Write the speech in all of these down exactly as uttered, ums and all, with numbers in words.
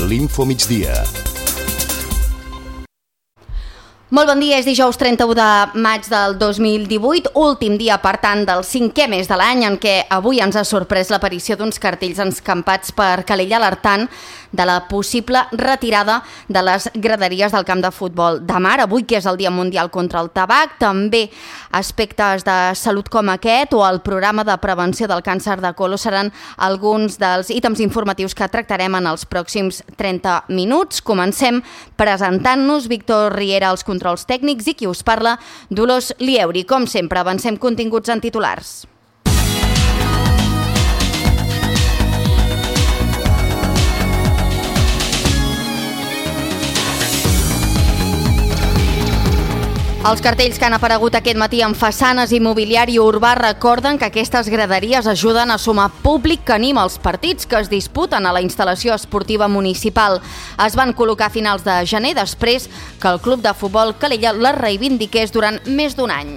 l'Info Migdia. Molt bon dia, és dijous trenta-u de maig del dos mil divuit, últim dia, per tant, del cinquè mes de l'any, en què avui ens ha sorprès l'aparició d'uns cartells escampats per Calella alertant de la possible retirada de les graderies del camp de futbol de Mar. Avui, que és el Dia Mundial contra el Tabac, també aspectes de salut com aquest o el programa de prevenció del càncer de colon seran alguns dels ítems informatius que tractarem en els pròxims trenta minuts. Comencem presentant-nos. Víctor Riera, els controls tècnics, i qui us parla, Dolors Lieuri. Com sempre, avancem continguts en titulars. Els cartells que han aparegut aquest matí en façanes i mobiliari urbà recorden que aquestes graderies ajuden a sumar públic que anima els partits que es disputen a la instal·lació esportiva municipal. Es van col·locar a finals de gener, després que el Club de Futbol Calella les reivindiqués durant més d'un any.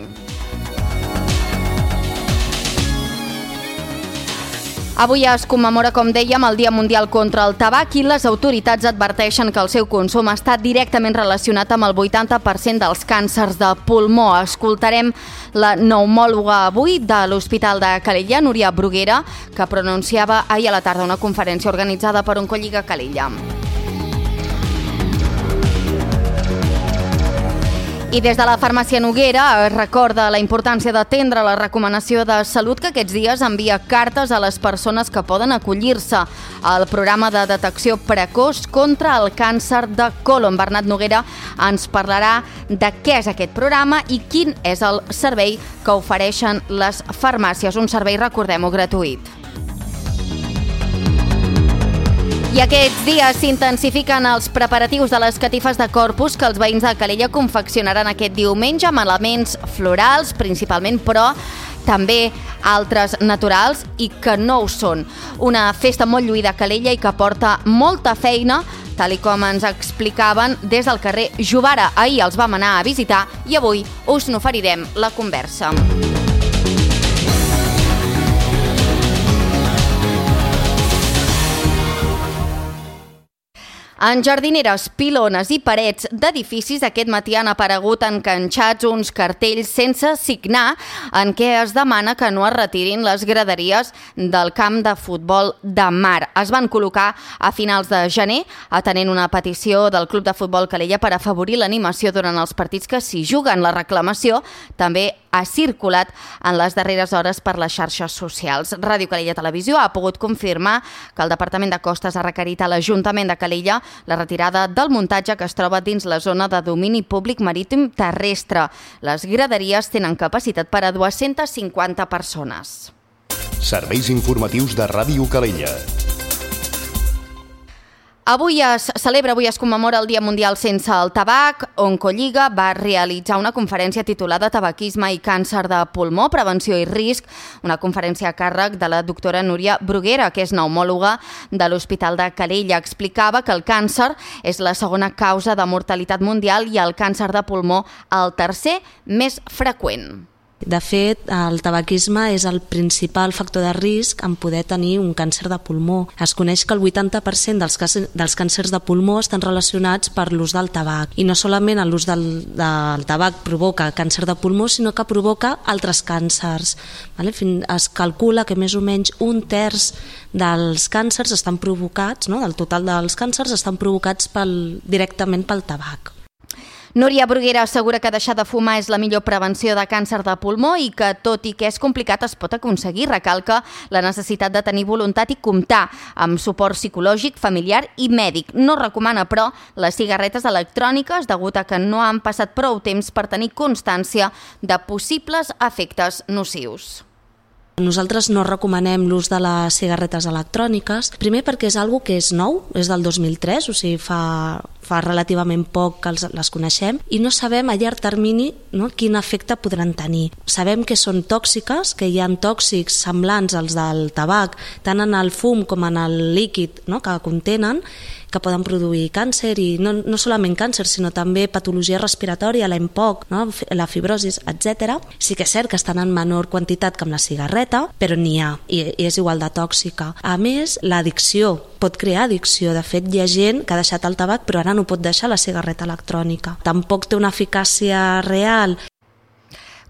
Avui es commemora, com dèiem, el Dia Mundial contra el Tabac i les autoritats adverteixen que el seu consum està directament relacionat amb el vuitanta per cent dels càncers de pulmó. Escoltarem la pneumòloga avui de l'Hospital de Calella, Núria Bruguera, que pronunciava ahir a la tarda una conferència organitzada per Oncolliga Calella. I des de la farmàcia Noguera es recorda la importància d'atendre la recomanació de salut que aquests dies envia cartes a les persones que poden acollir-se al programa de detecció precoç contra el càncer de colon. Bernat Noguera ens parlarà de què és aquest programa i quin és el servei que ofereixen les farmàcies. Un servei, recordem-ho, gratuït. I aquests dies s'intensifiquen els preparatius de les catifes de Corpus que els veïns de Calella confeccionaran aquest diumenge amb elements florals, principalment, però també altres naturals i que no ho són. Una festa molt lluïda a Calella i que porta molta feina, tal i com ens explicaven des del carrer Jovara. Ahir els vam anar a visitar i avui us n'oferirem la conversa. En jardineres, pilones i parets d'edificis aquest matí han aparegut enganxats uns cartells sense signar en què es demana que no es retirin les graderies del camp de futbol de Mar. Es van col·locar a finals de gener atenent una petició del Club de Futbol Calella per afavorir l'animació durant els partits que s'hi juguen. La reclamació també ha circulat en les darreres hores per les xarxes socials. Ràdio Calella Televisió ha pogut confirmar que el Departament de Costes ha requerit a l'Ajuntament de Calella la retirada del muntatge que es troba dins la zona de domini públic marítim terrestre. Les graderies tenen capacitat per a dues-centes cinquanta persones. Serveis informatius de Ràdio Calella. Avui es celebra, avui es commemora el Dia Mundial sense el tabac. Oncolliga va realitzar una conferència titulada Tabaquisme i càncer de pulmó, prevenció i risc, una conferència a càrrec de la doctora Núria Bruguera, que és pneumòloga de l'Hospital de Calella. Explicava que el càncer és la segona causa de mortalitat mundial i el càncer de pulmó el tercer més freqüent. De fet, el tabaquisme és el principal factor de risc en poder tenir un càncer de pulmó. Es coneix que el vuitanta per cent dels, dels càncers de pulmó estan relacionats per l'ús del tabac. I no solament l'ús del, del tabac provoca càncer de pulmó, sinó que provoca altres càncers. Vale? Es calcula que més o menys un terç dels càncers estan provocats, no? Del total dels càncers estan provocats pel, directament pel tabac. Núria Bruguera assegura que deixar de fumar és la millor prevenció de càncer de pulmó i que, tot i que és complicat, es pot aconseguir. Recalca la necessitat de tenir voluntat i comptar amb suport psicològic, familiar i mèdic. No recomana, però, les cigarretes electròniques degut a que no han passat prou temps per tenir constància de possibles efectes nocius. Nosaltres no recomanem l'ús de les cigarretes electròniques, primer perquè és algo que és nou, és del dos mil tres, o sigui, fa, fa relativament poc que els, les coneixem, i no sabem a llarg termini, no, quin efecte podran tenir. Sabem que són tòxiques, que hi ha tòxics semblants als del tabac, tant en el fum com en el líquid, no, que contenen, que poden produir càncer, i no, no solament càncer, sinó també patologia respiratòria, l'E M P O C, no? La fibrosis, etcètera. Sí que és cert que estan en menor quantitat que amb la cigarreta, però n'hi ha, i, i és igual de tòxica. A més, l'addicció pot crear addicció. De fet, hi ha gent que ha deixat el tabac però ara no pot deixar la cigarreta electrònica. Tampoc té una eficàcia real.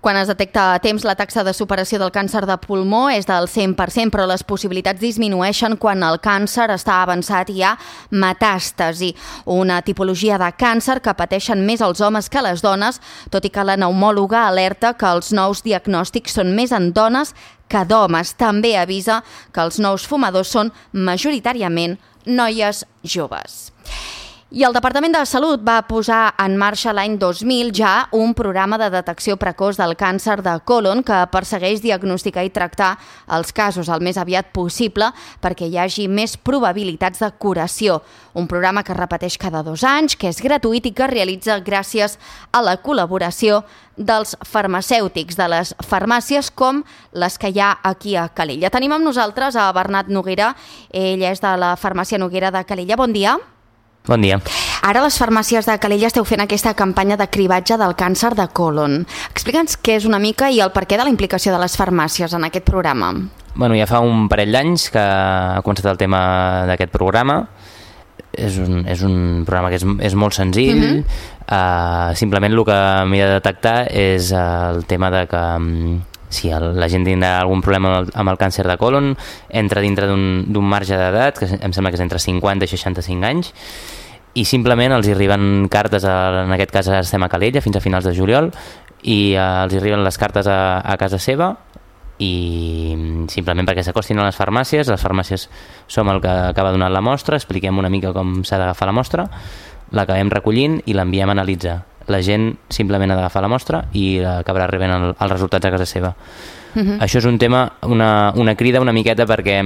Quan es detecta a temps, la taxa de superació del càncer de pulmó és del cent per cent, però les possibilitats disminueixen quan el càncer està avançat i hi ha metàstasi, una tipologia de càncer que pateixen més els homes que les dones, tot i que la pneumòloga alerta que els nous diagnòstics són més en dones que d'homes. També avisa que els nous fumadors són majoritàriament noies joves. I el Departament de Salut va posar en marxa l'any dos mil ja un programa de detecció precoç del càncer de còlon que persegueix diagnosticar i tractar els casos el més aviat possible perquè hi hagi més probabilitats de curació. Un programa que es repeteix cada dos anys, que és gratuït i que es realitza gràcies a la col·laboració dels farmacèutics, de les farmàcies com les que hi ha aquí a Calella. Tenim amb nosaltres a Bernat Noguera, ell és de la farmàcia Noguera de Calella. Bon dia. Bon dia. Ara a les farmàcies de Calella esteu fent aquesta campanya de cribatge del càncer de còlon. Explica'ns què és una mica i el perquè de la implicació de les farmàcies en aquest programa. Bueno, ja fa un parell d'anys que ha començat el tema d'aquest programa. És un, és un programa que és, és molt senzill. Uh-huh. uh, simplement el que m'he de detectar és el tema de que um, si el, la gent tindrà algun problema amb el, amb el càncer de còlon, entra dintre d'un marge d'edat, que em sembla que és entre cinquanta i seixanta-cinc anys, i simplement els arriben cartes, a, en aquest cas estem a Calella fins a finals de juliol, i uh, els arriben les cartes a, a casa seva, i simplement perquè s'acostin a les farmàcies. Les farmàcies som el que acaba donant la mostra, expliquem una mica com s'ha d'agafar la mostra, l'acabem recollint i l'enviem a analitzar. La gent simplement ha d'agafar la mostra i acabarà rebent el, els resultats a casa seva. Uh-huh. Això és un tema, una, una crida una miqueta perquè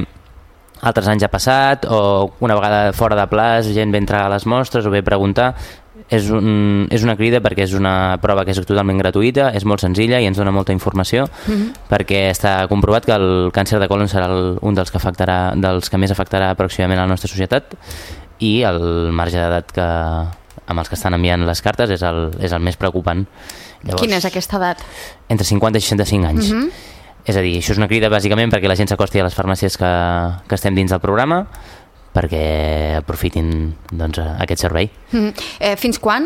altres anys ha passat, o una vegada fora de plaç gent ve entrar a les mostres o ve preguntar. És, un, és una crida perquè és una prova que és totalment gratuïta, és molt senzilla i ens dona molta informació, uh-huh. perquè està comprovat que el càncer de còlon serà el, un dels que, afectarà, dels que més afectarà pròximament a la nostra societat, i el marge d'edat que amb els que estan enviant les cartes és el, és el més preocupant. Llavors, quina és aquesta edat? Entre cinquanta i seixanta-cinc anys. Uh-huh. És a dir, això és una crida bàsicament perquè la gent s'acosti a les farmàcies que, que estem dins del programa, perquè aprofitin doncs, aquest servei. Uh-huh. eh, fins quan?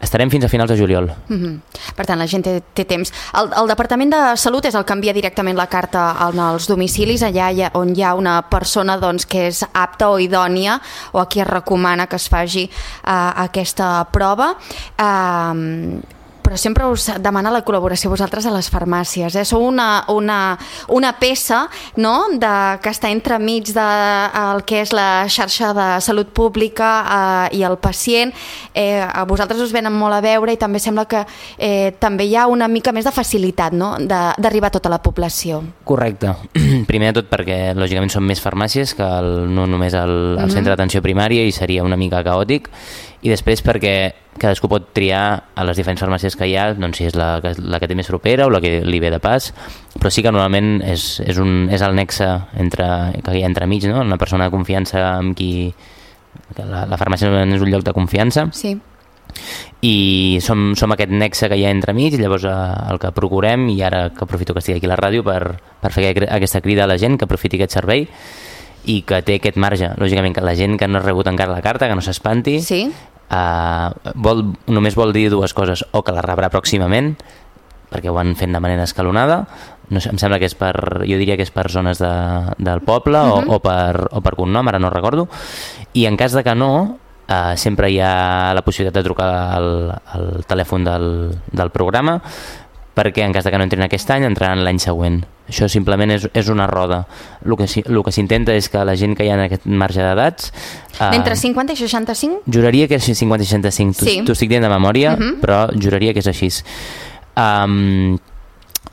Estarem fins a finals de juliol. Uh-huh. Per tant, la gent té, té temps. El, el Departament de Salut és el que envia directament la carta als domicilis, allà hi ha, on hi ha una persona doncs, que és apta o idònia, o a qui es recomana que es faci uh, aquesta prova. Uh, però sempre us demana la col·laboració vosaltres a les farmàcies. Eh? Sou una, una, una peça, no?, de, que està entremig del que és la xarxa de salut pública eh, i el pacient. Eh, a vosaltres us venen molt a veure i també sembla que eh, també hi ha una mica més de facilitat, no?, d'arribar a tota la població. Correcte. Primer de tot perquè lògicament són més farmàcies que el, no només el, el mm-hmm. centre d'atenció primària, i seria una mica caòtic. I després perquè cadascú pot triar a les diferents farmàcies que hi ha, doncs si és la, la que té més propera o la que li ve de pas, però sí que normalment és, és, un, és el nexe entre, que hi ha entremig, no? Una persona de confiança amb qui... La, la farmàcia és un lloc de confiança. Sí. I som, som aquest nexe que hi ha entremig, i llavors el que procurem, i ara que aprofito que estigui aquí a la ràdio per, per fer aquesta crida a la gent que aprofiti aquest servei i que té aquest marge. Lògicament que la gent que no ha rebut encara la carta, que no s'espanti, sí. Uh, vol, només vol dir dues coses: o que la rebrà pròximament perquè ho han fet de manera escalonada, no sé, em sembla que és per, jo diria que és per zones de, del poble, uh-huh. o, o, per, o per cognom, ara no recordo, i en cas de que no, uh, sempre hi ha la possibilitat de trucar al, al telèfon del, del programa, perquè en cas de que no entrin aquest any, entraran l'any següent. Això simplement és, és una roda. El que, el que s'intenta és que la gent que hi ha en aquest marge d'edats... Uh, D'entre cinquanta i seixanta-cinc? Juraria que és cinquanta i seixanta-cinc. Sí. T'ho estic dient de memòria, uh-huh. però juraria que és així. Um,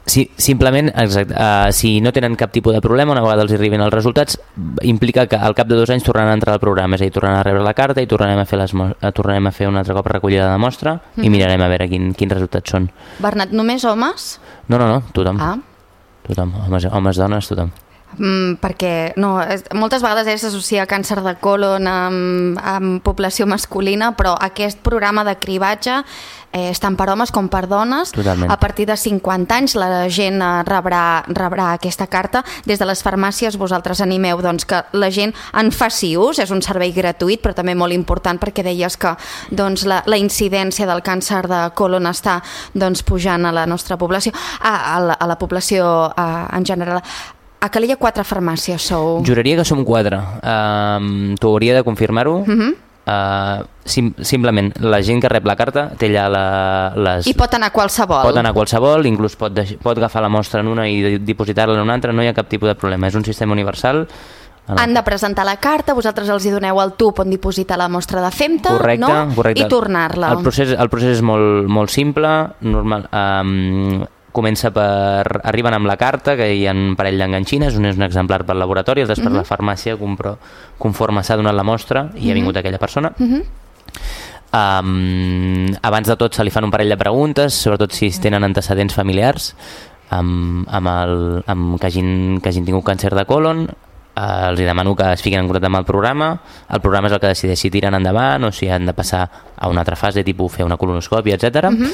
si, simplement, exacte, uh, si no tenen cap tipus de problema, una vegada els arriben els resultats, implica que al cap de dos anys tornaran a entrar al programa, és a dir, tornaran a rebre la carta i tornarem a fer, les, tornarem a fer un altre cop recollida de mostra, uh-huh. i mirarem a veure quin, quins resultats són. Bernat, només homes? No, no, no, tothom. Ah. Tothom, homes, homes, dones, tothom. Mm, perquè no, és, moltes vegades eh, s'associa càncer de colon amb, amb població masculina, però aquest programa de cribatge eh, és tant per homes com per dones. Totalment. A partir de cinquanta anys la gent eh, rebrà, rebrà aquesta carta. Des de les farmàcies vosaltres animeu doncs, que la gent en faci ús, és un servei gratuït però també molt important perquè deies que doncs, la, la incidència del càncer de colon està doncs, pujant a la nostra població, a, a, la, a la població a, en general. A Calella quatre farmàcies sou? Juraria que som quatre. Uh, T'ho hauria de confirmar-ho. Uh -huh. uh, sim simplement, la gent que rep la carta té allà la, les... I pot anar qualsevol? Pot anar qualsevol, inclús pot, pot agafar la mostra en una i dipositar-la en una altra, no hi ha cap tipus de problema. És un sistema universal. Han de presentar la carta, vosaltres els hi doneu el tub on dipositar la mostra de femta, correcte, no? Correcte. I tornar-la. El procés, el procés és molt, molt simple, normal... Um, comença per... Arriben amb la carta, que hi ha un parell d'enganxines, un és un exemplar pel laboratori, el després uh -huh. la farmàcia, compro, conforme s'ha donat la mostra, i uh -huh. ha vingut aquella persona. Uh -huh. um, abans de tot se li fan un parell de preguntes, sobretot si es tenen antecedents familiars, amb, amb el, amb que, hagin, que hagin tingut càncer de colon. Uh, els demano que es fiquin en contacte amb el programa. El programa és el que decideix si tiren endavant o si han de passar a una altra fase, tipus fer una colonoscòpia, etcètera. Uh -huh.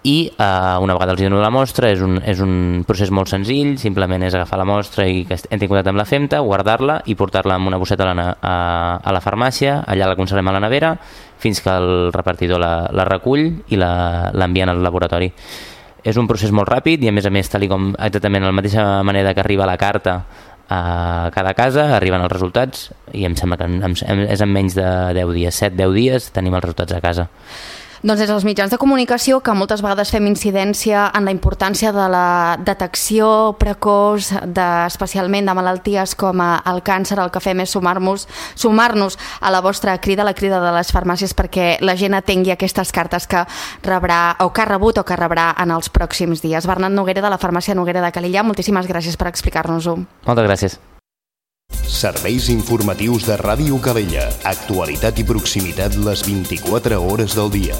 I uh, una vegada els dono la mostra, és un, és un procés molt senzill, simplement és agafar la mostra i que entri en contacte amb la femta, guardar-la i portar-la amb una bosseta a la, a, a la farmàcia, allà la conservem a la nevera fins que el repartidor la, la recull i l'envien al laboratori. És un procés molt ràpid i a més a més, tal com exactament de la mateixa manera que arriba la carta a cada casa, arriben els resultats i em sembla que en, en, és en menys de deu dies, set deu dies tenim els resultats a casa. Doncs és els mitjans de comunicació que moltes vegades fem incidència en la importància de la detecció precoç, de, especialment de malalties com el càncer. El que fem és sumar-nos sumar-nos a la vostra crida, a la crida de les farmàcies, perquè la gent atengui aquestes cartes que rebrà o que ha rebut o que rebrà en els pròxims dies. Bernat Noguera, de la farmàcia Noguera de Calella, moltíssimes gràcies per explicar-nos-ho. Moltes gràcies. Serveis informatius de Ràdio Calella. Actualitat i proximitat les vint-i-quatre hores del dia.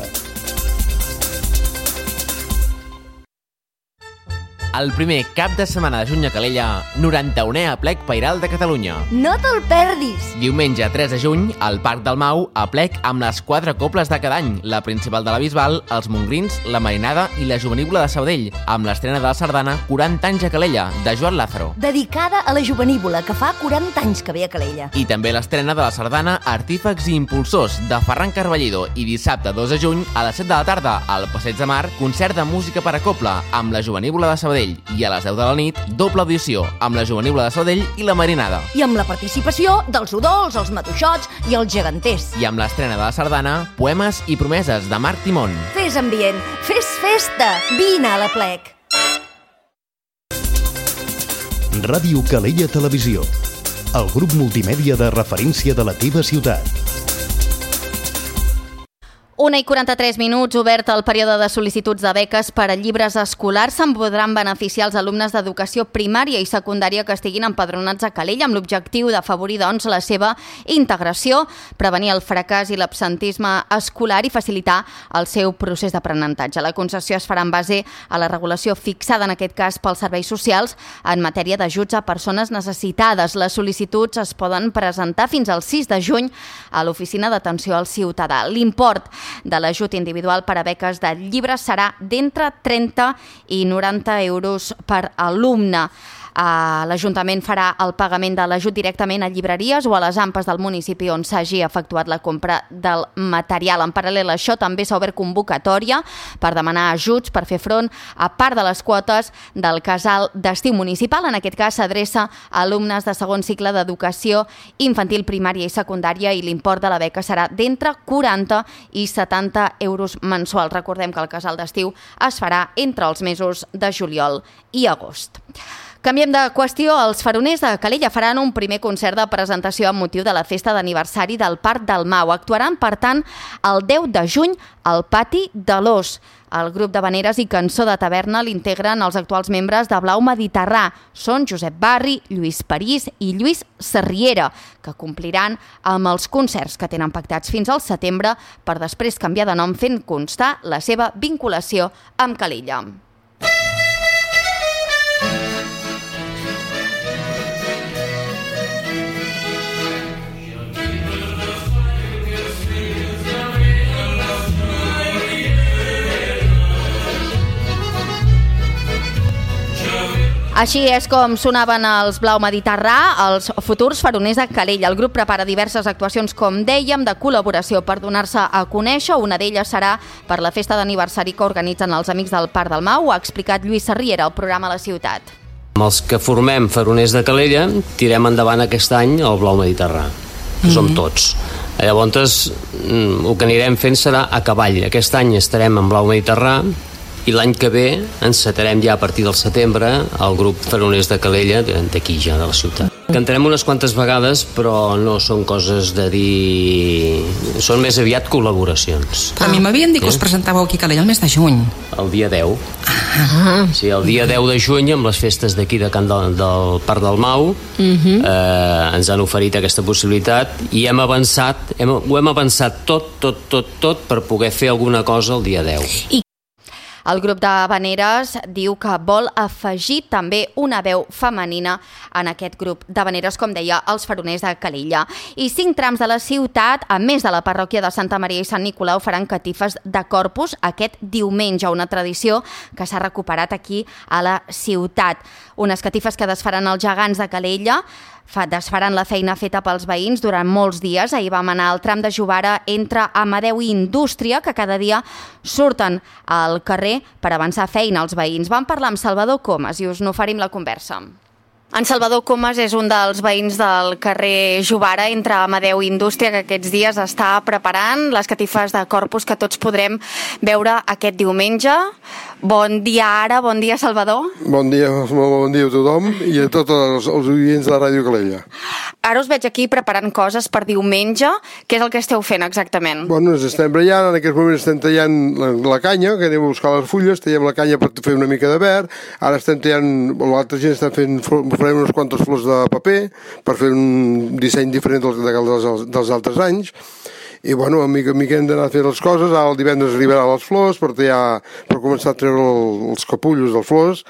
El primer cap de setmana de juny a Calella, noranta-unè aplec Pairal de Catalunya. No te'l perdis! Diumenge tres de juny, al Parc del Mau, aplec amb les quatre cobles de cada any, la principal de la Bisbal, els Montgrins, la Marinada i la Jovenívola de Sabadell, amb l'estrena de la sardana quaranta anys a Calella, de Joan Lázaro. Dedicada a la Jovenívola, que fa quaranta anys que ve a Calella. I també l'estrena de la sardana Artífex i Impulsors, de Ferran Carballido, i dissabte dos de juny, a les set de la tarda, al Passeig de Mar, concert de música per a cobla, amb la Jovenívola de Sabadell, i a les deu de la nit, doble audició, amb la Jovenívola de Sabadell i la Marinada. I amb la participació dels Udols, els Matuixots i els Geganters. I amb l'estrena de la sardana, Poemes i promeses, de Marc Timón. Fes ambient, fes festa, vine a l'Aplec. Ràdio Calella Televisió, el grup multimèdia de referència de la teva ciutat. Una i quaranta-tres minuts, obert el període de sol·licituds de beques per a llibres escolars. Se'n podran beneficiar els alumnes d'educació primària i secundària que estiguin empadronats a Calella, amb l'objectiu d'afavorir doncs, la seva integració, prevenir el fracàs i l'absentisme escolar i facilitar el seu procés d'aprenentatge. La concessió es farà en base a la regulació fixada, en aquest cas, pels serveis socials en matèria d'ajuts a persones necessitades. Les sol·licituds es poden presentar fins al sis de juny a l'Oficina d'Atenció al Ciutadà. L'import de l'ajut individual per a beques de llibres serà d'entre trenta i noranta euros per alumne. Uh, L'Ajuntament farà el pagament de l'ajut directament a llibreries o a les AMPAs del municipi on s'hagi efectuat la compra del material. En paral·lel a això, també s'ha obert convocatòria per demanar ajuts per fer front a part de les quotes del casal d'estiu municipal. En aquest cas s'adreça a alumnes de segon cicle d'educació infantil, primària i secundària, i l'import de la beca serà d'entre quaranta i setanta euros mensuals. Recordem que el casal d'estiu es farà entre els mesos de juliol i agost. Canviem de qüestió. Els faroners de Calella faran un primer concert de presentació amb motiu de la festa d'aniversari del Parc del Mau. Actuaran, per tant, el deu de juny al Pati de l'Ós. El grup d'havaneres i cançó de taverna l'integren els actuals membres de Blau Mediterrà. Són Josep Barri, Lluís París i Lluís Sarriera, que compliran amb els concerts que tenen pactats fins al setembre per després canviar de nom, fent constar la seva vinculació amb Calella. Així és com sonaven els Blau Mediterrà, els futurs faroners de Calella. El grup prepara diverses actuacions, com dèiem, de col·laboració per donar-se a conèixer. Una d'elles serà per la festa d'aniversari que organitzen els Amics del Parc del Mau. Ho ha explicat Lluís Sarriera al programa La Ciutat. Amb els que formem faroners de Calella tirem endavant aquest any el Blau Mediterrà, que som tots. Llavors, el que anirem fent serà a cavall. Aquest any estarem en Blau Mediterrà i l'any que ve encetarem ja a partir del setembre el grup Faroners de Calella d'aquí ja, de la ciutat. Cantarem unes quantes vegades, però no són coses de dir... Són més aviat col·laboracions. Però a mi m'havien dit que us presentàveu aquí a Calella el mes de juny. El dia deu. Ah. Sí, el dia deu de juny, amb les festes d'aquí de Can del, del Parc del Mau, uh-huh. eh, ens han oferit aquesta possibilitat i hem avançat, hem, ho hem avançat tot, tot, tot, tot per poder fer alguna cosa el dia deu. I el grup de Havaneres diu que vol afegir també una veu femenina en aquest grup d'Havaneres, com deia, els Faroners de Calella. I cinc trams de la ciutat, a més de la parròquia de Santa Maria i Sant Nicolau, faran catifes de Corpus aquest diumenge, una tradició que s'ha recuperat aquí a la ciutat. Unes catifes que desfaran els gegants de Calella, desfaran la feina feta pels veïns durant molts dies. Ahir vam anar al tram de Jovara entre Amadeu i Indústria, que cada dia surten al carrer per avançar feina als veïns. Vam parlar amb Salvador Comas i us n'oferim la conversa. En Salvador Comas és un dels veïns del carrer Jovara entre Amadeu i Indústria, que aquests dies està preparant les catifes de Corpus que tots podrem veure aquest diumenge. Bon dia ara, bon dia Salvador. Bon dia, bon dia a tothom i a tots els, els oients de la Ràdio Calella. Ara us veig aquí preparant coses per diumenge. Què és el que esteu fent exactament? Bueno, ens estem brallant, en aquest moment estem tallant la, la canya, que anem a buscar les fulles, tallem la canya per fer una mica de verd, ara estem tallant, l'altra gent està fent, farem unes quantes flors de paper per fer un disseny diferent dels, dels, dels altres anys. I bueno, a mica a mica hem d'anar a fer les coses. Ara el divendres arribaran les flors per, tallar, per començar a treure el, els capullos dels flors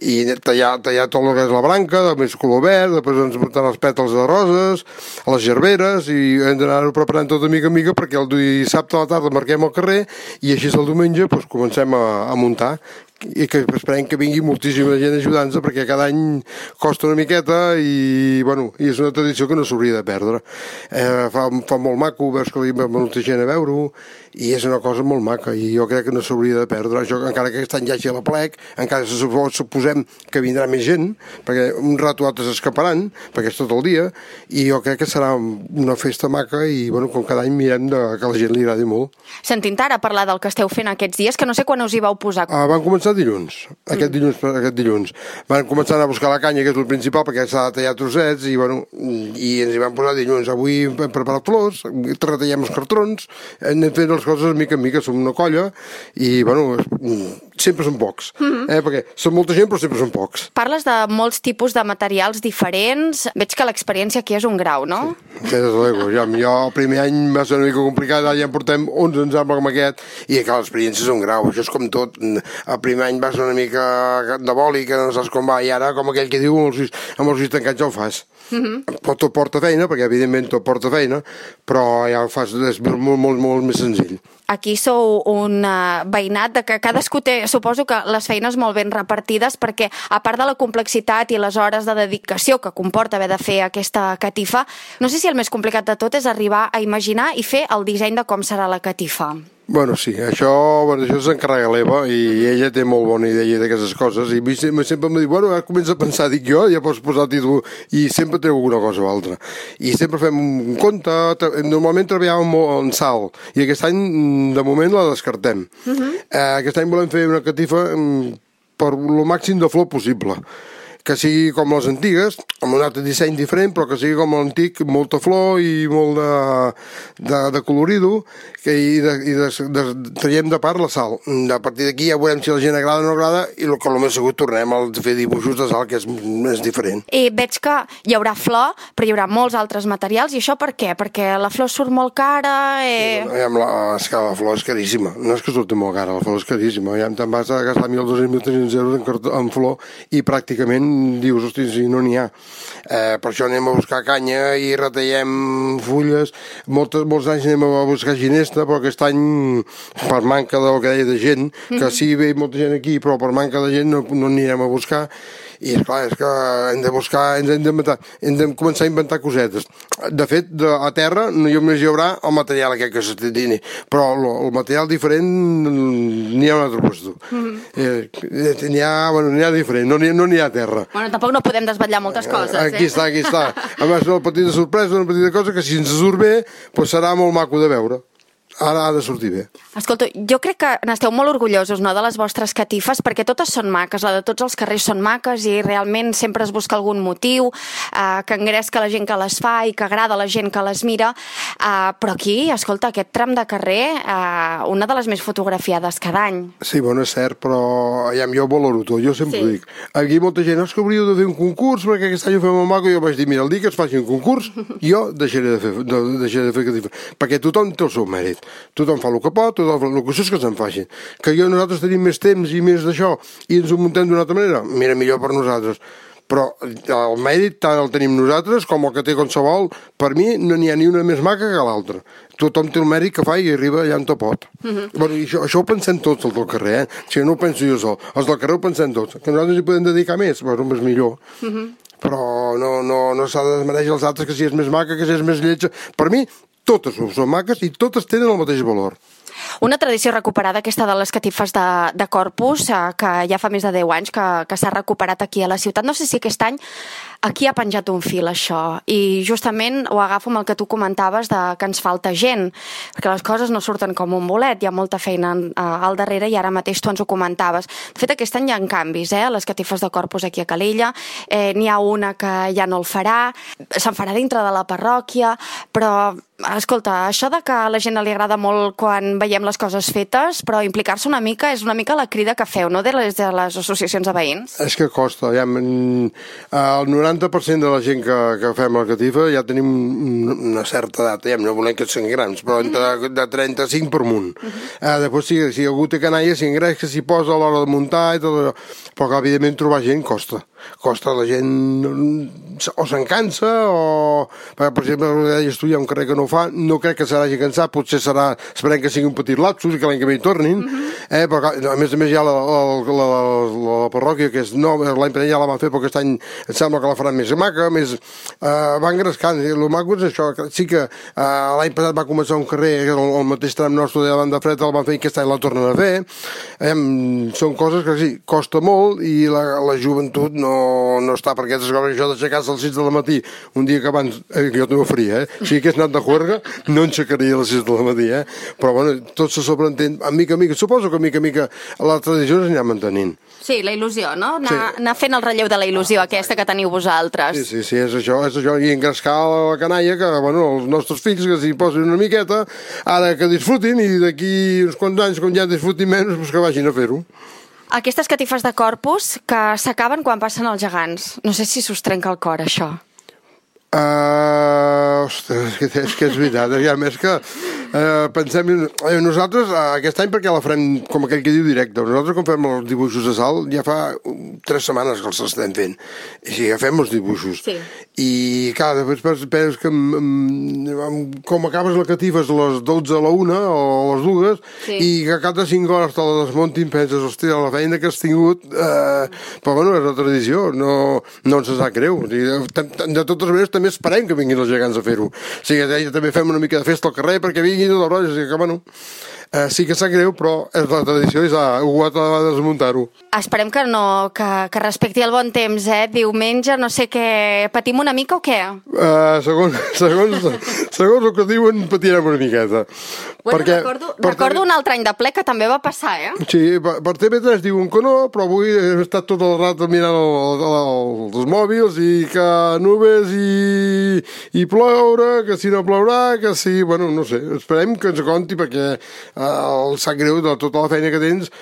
i tallar, tallar tot el que és la branca, de més color verd, després ens portaran els pètals de roses, a les gerberes, i hem d'anar-ho preparant tot de mica a mica perquè el dissabte a la tarda marquem el carrer i així el diumenge doncs, comencem a, a muntar. I que esperem que vingui moltíssima gent ajudant-nos perquè cada any costa una miqueta i, bueno, i és una tradició que no s'hauria de perdre. Eh, fa, fa molt maco, veus que hi va molta gent a veure-ho i és una cosa molt maca i jo crec que no s'hauria de perdre. Això, encara que aquest any hi hagi a la plec, encara suposem que vindrà més gent perquè un rato altres escaparan perquè és tot el dia i jo crec que serà una festa maca i, bueno, com cada any mirem de, que a la gent li agradi molt. Sentint ara parlar del que esteu fent aquests dies, que no sé quan us hi vau posar. Ah, van començar dilluns, aquest dilluns, aquest dilluns. Van començar a buscar la canya, que és el principal, perquè s'ha de tallar trossets, i, bueno, i ens hi van posar dilluns. Avui hem preparat flors, retallem els cartrons, anem fent les coses mica en mica, som una colla, i, bueno, sempre són pocs, eh? Perquè són molta gent, però sempre són pocs. Parles de molts tipus de materials diferents. Veig que l'experiència aquí és un grau, no? Sí, des de l'ego. Jo, jo el primer any va ser una mica complicat, ja en portem onze ensemble com aquest, i clar, l'experiència és un grau, això és com tot. El primer any vas una mica de boli, que no saps com va, i ara, com aquell que diu, amb els ulls, amb els ulls tancats ja ho fas. Uh-huh. Tot porta feina, perquè evidentment tot porta feina, però ja ho fas, és molt, molt, molt més senzill. Aquí sou un uh, veïnat de que cadascú té, suposo que les feines molt ben repartides, perquè a part de la complexitat i les hores de dedicació que comporta haver de fer aquesta catifa, no sé si el més complicat de tot és arribar a imaginar i fer el disseny de com serà la catifa. Bueno, sí, això, bueno, això s'encarrega l'Eva i ella té molt bona idea d'aquestes coses i sempre, sempre em diu, bueno, ara comença a pensar, dic jo, ja pots posar el títol i sempre treu alguna cosa o altra. I sempre fem un conte, normalment treballàvem molt en sal i aquest any, de moment, la descartem. Uh-huh. eh, aquest any volem fer una catifa per lo màxim de flor possible, que sigui com les antigues, amb un altre disseny diferent, però que sigui com l'antic, molta flor i molt de, de, de colorido, que, i, de, i de, de, traiem de part la sal. A partir d'aquí ja veurem si la gent agrada o no agrada, i el que el més segur tornem a fer dibuixos de sal, que és més diferent. I veig que hi haurà flor, però hi haurà molts altres materials, i això per què? Perquè la flor surt molt cara... Eh... Ja, la, és que la flor és caríssima, no és que surti molt cara, la flor és caríssima, ja te'n vas a gastar mil dos-cents mil tres-cents euros en, en flor, i pràcticament dius, hosti, si no n'hi ha. Eh, per això anem a buscar canya i retallem fulles. Moltes, molts anys anem a buscar ginesta, però aquest any, per manca del que deia de gent, que sí ve molta gent aquí, però per manca de gent no, no anirem a buscar. I esclar, és que hem de buscar, ens hem d'inventar, hem de començar a inventar cosetes. De fet, de, a terra només hi haurà el material aquest que s'està dient, però el, el material diferent n'hi ha un altre puesto. Mm-hmm. eh, n'hi ha, bueno, n'hi ha diferent, no n'hi no n'hi ha a terra. Bueno, tampoc no podem desvetllar moltes coses, eh? Aquí està, aquí està. A més, una petita sorpresa, una petita cosa que si ens surt bé, doncs serà molt maco de veure. Ara ha de sortir bé. Escolta, jo crec que n'esteu molt orgullosos, no?, de les vostres catifes, perquè totes són maques, la de tots els carrers són maques i realment sempre es busca algun motiu eh, que engresca la gent que les fa i que agrada a la gent que les mira, eh, però aquí, escolta, aquest tram de carrer, eh, una de les més fotografiades cada any. Sí, bueno, és cert, però ja, jo valoro tot, jo sempre Sí. ho dic. Aquí molta gent, no, és que hauríeu de fer un concurs perquè aquest any ho fem molt maco, i jo vaig dir, mira, el dia que es faci un concurs, jo deixaré de fer, de, deixaré de fer catifes, perquè tothom té el seu mèrit. Tothom fa el que pot, tothom fa el que és que se'n facin. Que jo nosaltres tenim més temps i més d'això i ens ho muntem d'una altra manera, mira, millor per nosaltres. Però el mèrit tant el tenim nosaltres com el que té qualsevol. Per mi no n'hi ha ni una més maca que l'altra. Tothom té el mèrit que fa i arriba allà on te pot. Mm-hmm. Bueno, i això, això ho pensem tots, els del carrer, eh? O sigui, no ho penso jo sol. Els del carrer ho pensem tots. Que nosaltres hi podem dedicar més, bueno, és millor. Mm-hmm. Però no, no, no s'ha de desmereixer els altres que si és més maca, que si és més lletja. Per mi, totes són maques i totes tenen el mateix valor. Una tradició recuperada, aquesta de les catifes de, de Corpus, eh, que ja fa més de deu anys que, que s'ha recuperat aquí a la ciutat. No sé si aquest any aquí ha penjat un fil, això, i justament ho agafo amb el que tu comentaves de que ens falta gent, perquè les coses no surten com un bolet, hi ha molta feina uh, al darrere i ara mateix tu ens ho comentaves. De fet, aquest any hi ha canvis, eh, les catifes de Corpus aquí a Calella, eh, n'hi ha una que ja no el farà, se'n farà dintre de la parròquia, però escolta, això de que a la gent li agrada molt quan veiem les coses fetes, però implicar-se una mica és una mica la crida que feu, no?, de les, de les associacions de veïns. És que costa, ja, el noranta per cent de la gent que, que fem la catifa ja tenim una certa edat, ja, no volem que siguin grans, però entre de trenta-cinc per munt. Uh -huh. eh, després, si, si algú té canalla, si engreix, que s'hi posa a l'hora de muntar i tot allò, però que, evidentment, trobar gent costa. Costa, la gent o se'n cansa o, per exemple, deies tu, hi ha un carrer que no ho fa, no crec que s'hagi cansat, potser serà, esperem que sigui un petit lapsus i que l'any que ve hi tornin, uh-huh. eh, però a més a més hi ha la, la, la, la, la parròquia que és nova, l'any passat ja la van fer, però aquest any em sembla que la faran més maca, més, eh, va engrescant, i el maco és això, que sí que eh, l'any passat va començar un carrer, que el, el mateix tram nostre de la banda freda el van fer i aquest any la tornen a fer, eh, són coses que sí, costa molt i la, la joventut no no està per aquestes coses, això d'aixecar-se a les sis del matí, un dia que abans, eh, que jo també ho faria, eh? Si hagués anat de juerga, no enxecaria a les sis del matí, eh? Però, bueno, tot se sobreentén, a mica a mica, suposo que a mica a mica la tradició s'anirà mantenint. Sí, la il·lusió, no? Anar, sí. anar fent el relleu de la il·lusió aquesta que teniu vosaltres. Sí, sí, sí, és això, és això, i engrescar la canalla, que, bueno, els nostres fills que s'hi posin una miqueta, ara que disfrutin, i d'aquí uns quants anys, quan ja disfrutin menys, doncs que vagin a fer-ho. Aquestes catifes de Corpus que s'acaben quan passen els gegants. No sé si s'us trenca el cor, això. Uh, ostres, és que, és que és veritat, eh? A més que uh, pensem, eh, nosaltres uh, aquest any perquè la farem com aquell que diu directe, nosaltres quan fem els dibuixos de sal ja fa uh, tres setmanes que els estem fent, i sí, ja fem els dibuixos, sí. I clar, després penses que um, com acabes la catifa és a les dotze a la una o a les dues, sí. I que cap de cinc hores te la desmuntin, penses, hòstia, la feina que has tingut, uh, però bueno, és la tradició, no, no ens sap greu, o sigui, de totes maneres també esperem que vinguin els gegants a fer-ho. O sigui, també fem una mica de festa al carrer perquè vinguin els rotllos, o sigui que, bueno, eh, sí que sap greu, però és la tradició i s'ha hagut de desmuntar-ho. Esperem que no, que, que respecti el bon temps, eh? Diumenge, no sé què, patim una mica o què? Uh, segons, segons, segons el que diuen, patirem una miqueta. Bueno, perquè, recordo, recordo un altre any de ple que també va passar, eh? Sí, per, per T V tres diuen que no, però avui he estat tot el rato mirant el, el, el, els mòbils i que nubes i, i ploure, que si no plourà, que si... Bueno, no sé, esperem que ens conti perquè eh, el sap greu de tota la feina que tens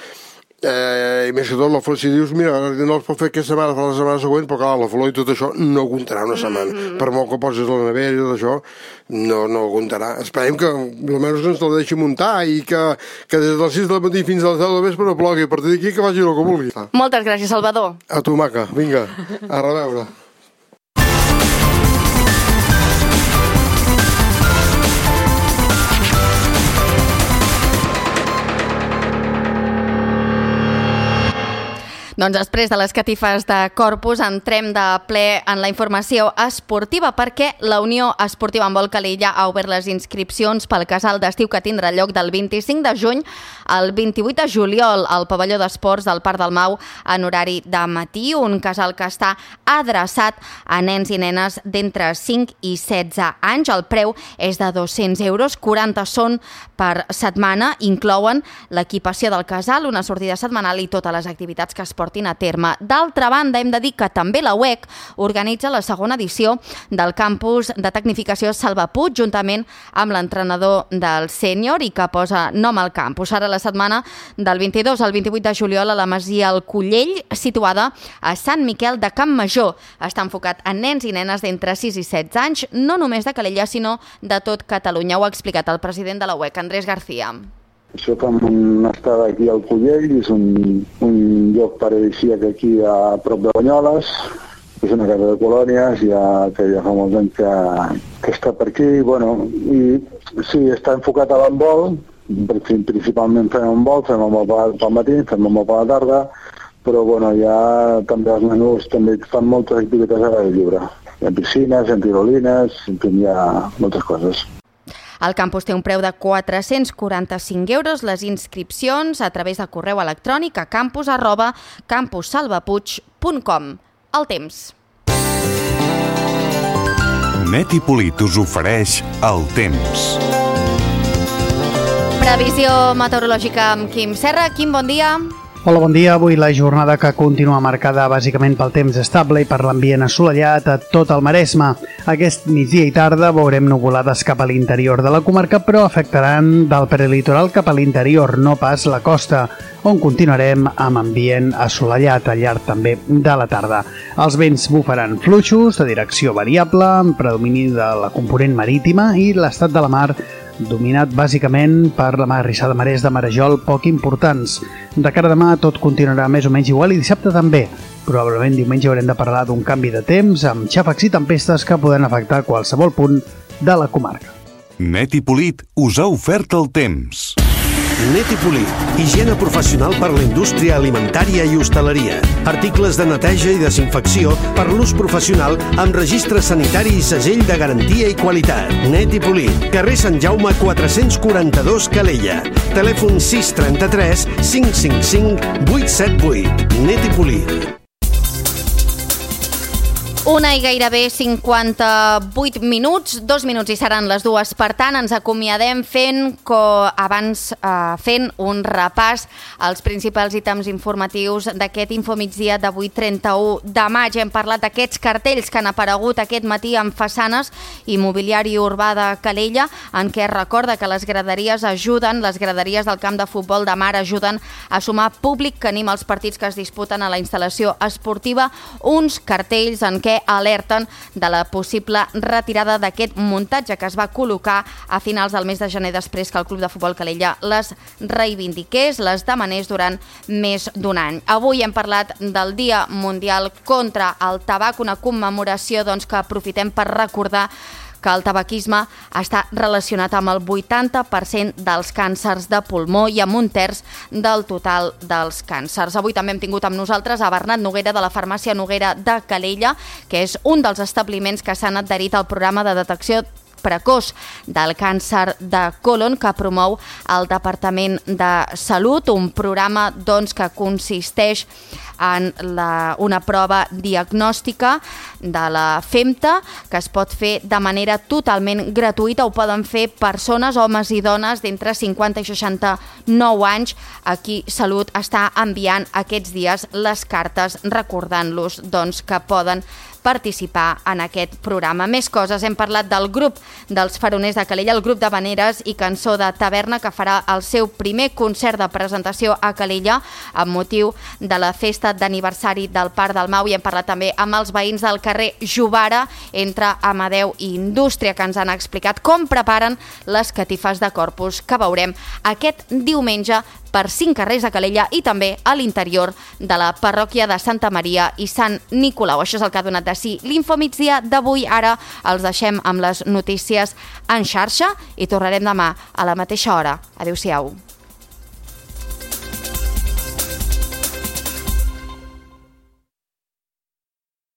Eh, I més que tot, la flor, si dius, mira, no els pot fer aquesta setmana, fa la setmana següent, però clar, la flor i tot això no aguantarà una setmana. Mm-hmm. Per molt que posis la nevera i tot això, no, no aguantarà. Esperem que almenys ens la deixi muntar i que, que des de les sis del matí fins a les deu del vespre no plogui. A partir d'aquí que faci el que vulgui. Moltes gràcies, Salvador. A tu, maca. Vinga, a reveure. Doncs després de les catifes de Corpus entrem de ple en la informació esportiva perquè la Unió Esportiva Handbol Calella ha obert les inscripcions pel casal d'estiu que tindrà lloc del vint-i-cinc de juny al vint-i-vuit de juliol al pavelló d'esports del Parc del Mau en horari de matí, un casal que està adreçat a nens i nenes d'entre cinc i setze anys. El preu és de dos-cents euros, quaranta són per setmana, inclouen l'equipació del casal, una sortida setmanal i totes les activitats que es portin a terme. D'altra banda, hem de dir que també la U E C organitza la segona edició del campus de tecnificació Salva Puig, juntament amb l'entrenador del sènior i que posa nom al campus. Ara la setmana del vint-i-dos al vint-i-vuit de juliol a la Masia El Collell, situada a Sant Miquel de Campmajor. Està enfocat a nens i nenes d'entre sis i setze anys, no només de Calella, sinó de tot Catalunya. Ho ha explicat el president de la U E C, Andrés García. Això fem una estada aquí al Collell, és un, un lloc paradisíac aquí a prop de Banyoles, és una casa de colònies, ja, que ja fa molts anys que, que està per aquí, bueno, i sí, està enfocat a l'handbol, principalment fem handbol, fem handbol pel matí, fem handbol per la tarda, però bueno, ja també els menús també fan moltes activitats a l'aire lliure. Hi ha piscines, hi ha tirolines, hi ha moltes coses. El campus té un preu de quatre-cents quaranta-cinc euros, les inscripcions a través de correu electrònic a campus arroba campussalvapuig punt com. El temps. Net i Polit us ofereix el temps. Previsió meteorològica amb Quim Serra. Quim, bon dia. Hola, bon dia. Avui la jornada que continua marcada bàsicament pel temps estable i per l'ambient assolellat a tot el Maresme. Aquest migdia i tarda veurem nuvolades cap a l'interior de la comarca, però afectaran del prelitoral cap a l'interior, no pas la costa, on continuarem amb ambient assolellat al llarg també de la tarda. Els vents bufaran fluixos de direcció variable, amb predomini de la component marítima i l'estat de la mar dominat bàsicament per la mar rissada marès de Marajol, poc importants. De cara a demà tot continuarà més o menys igual i dissabte també. Probablement diumenge haurem de parlar d'un canvi de temps amb xàfecs i tempestes que poden afectar qualsevol punt de la comarca. Net i Polit us ha ofert el temps. Net i Polit, higiene professional per la indústria alimentària i hostaleria. Articles de neteja i desinfecció per l'ús professional amb registre sanitari i segell de garantia i qualitat. Net i Polit, carrer Sant Jaume quatre-cents quaranta-dos Calella. Telèfon sis trenta-tres cinc cinc cinc vuit set vuit. Net i Polit. Una i gairebé cinquanta-vuit minuts, dos minuts i seran les dues. Per tant, ens acomiadem fent, co, abans, eh, fent un repàs als principals ítems informatius d'aquest Infomigdia d'avui trenta-u de maig. Hem parlat d'aquests cartells que han aparegut aquest matí en façanes i mobiliari urbà de Calella, en què es recorda que les graderies ajuden, les graderies del camp de futbol de mar ajuden a sumar públic que anima els partits que es disputen a la instal·lació esportiva. Uns cartells en què alerten de la possible retirada d'aquest muntatge que es va col·locar a finals del mes de gener després que el Club de Futbol Calella les reivindiqués, les demanés durant més d'un any. Avui hem parlat del Dia Mundial contra el Tabac, una commemoració doncs, que aprofitem per recordar que el tabaquisme està relacionat amb el vuitanta per cent dels càncers de pulmó i amb un terç del total dels càncers. Avui també hem tingut amb nosaltres a Bernat Noguera de la Farmàcia Noguera de Calella, que és un dels establiments que s'han adherit al programa de detecció precoç del càncer de còlon que promou el Departament de Salut, un programa doncs, que consisteix en la, una prova diagnòstica de la FEMTA que es pot fer de manera totalment gratuïta. Ho poden fer persones, homes i dones d'entre cinquanta i seixanta-nou anys. Aquí Salut està enviant aquests dies les cartes recordant-los doncs, que poden participar en aquest programa. Més coses, hem parlat del grup dels Faroners de Calella, el grup de Vaneres i Cançó de Taverna, que farà el seu primer concert de presentació a Calella amb motiu de la festa d'aniversari del Parc del Mau, i hem parlat també amb els veïns del carrer Jovara entre Amadeu i Indústria, que ens han explicat com preparen les catifes de Corpus que veurem aquest diumenge per cinc carrers de Calella i també a l'interior de la parròquia de Santa Maria i Sant Nicolau. Això és el que ha donat de si l'Infomigdia d'avui. Ara els deixem amb les notícies en xarxa i tornarem demà a la mateixa hora. Adéu-siau.